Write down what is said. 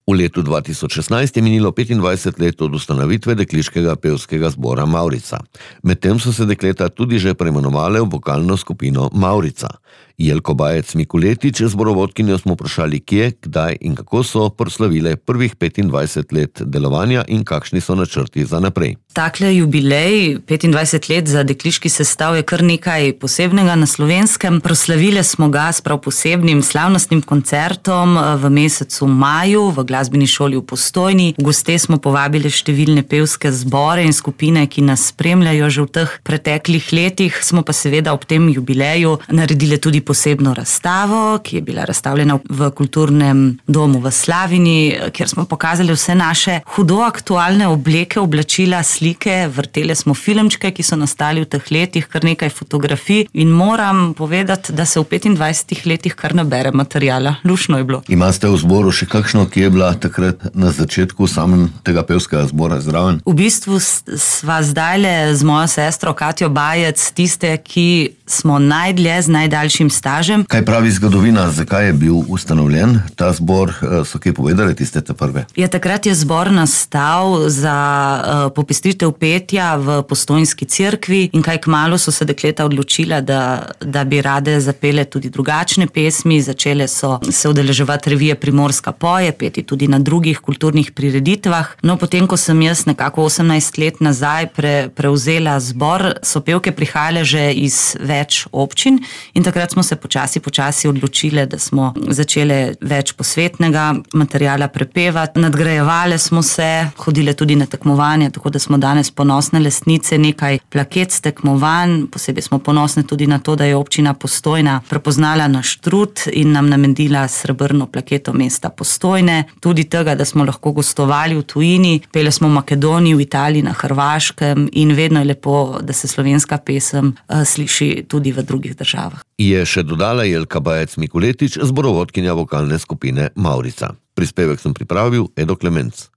V letu 2016 je minilo 25 let od ustanovitve dekliškega pevskega zbora Mavrica. Medtem so se dekleta tudi že preimenovale v vokalno skupino Mavrica. Jelko Bajec-Mikuletič, zborovodkinjo, smo vprašali, kje, kdaj in kako so proslavile prvih 25 let delovanja in kakšni so načrti za naprej. Takle jubilej, 25 let za dekliški sestav, je kar nekaj posebnega na Slovenskem. Proslavile smo ga s prav posebnim slavnostnim koncertom v mesecu maju v glasbeni šoli v Postojni. V goste smo povabili številne pevske zbore in skupine, ki nas spremljajo že v teh preteklih letih. Smo pa seveda ob tem jubileju naredili tudi posebno razstavo, ki je bila razstavljena v kulturnem domu v Slavini, kjer smo pokazali vse naše hudo aktualne obleke, oblačila, slike, vrtele smo filmčke, ki so nastali v teh letih, kar nekaj fotografij, in moram povedati, da se v 25 letih kar nabere materijala. Lušno je bilo. Imate v zboru še kakšno, ki je bila takrat na začetku samem tega pevskega zbora zraven? V bistvu sva zdajle z mojo sestro Katjo Bajec tiste, ki smo najdlje z najdaljšim stažem. Kaj pravi zgodovina, zakaj je bil ustanovljen ta zbor? So kaj povedali tiste te prve? Ja, takrat je zbor nastal za popestritev petja v Postojnski cerkvi in kaj kmalu so se dekleta odločila, da bi rade zapele tudi drugačne pesmi. Začele so se udeleževati revije Primorska poje, peti tudi na drugih kulturnih prireditvah. No, potem, ko sem jaz nekako 18 let nazaj prevzela zbor, so pevke prihajale že iz več občin in takrat smo se počasi odločile, da smo začele več posvetnega materijala prepevati. Nadgrajevale smo se, hodile tudi na tekmovanja, tako da smo danes ponosne lastnice nekaj plaket s tekmovanj. Posebej smo ponosne tudi na to, da je občina Postojna prepoznala naš trud in nam namenila srebrno plaketo mesta Postojne. Tudi tega, da smo lahko gostovali v tujini, pele smo v Makedoniji, v Italiji, na Hrvaškem in vedno je lepo, da se slovenska pesem sliši tudi v drugih državah. Je še dodala Jelka Bajec-Mikuletič, zborovodkinja vokalne skupine Mavrica. Prispevek sem pripravil Edo Klemenc.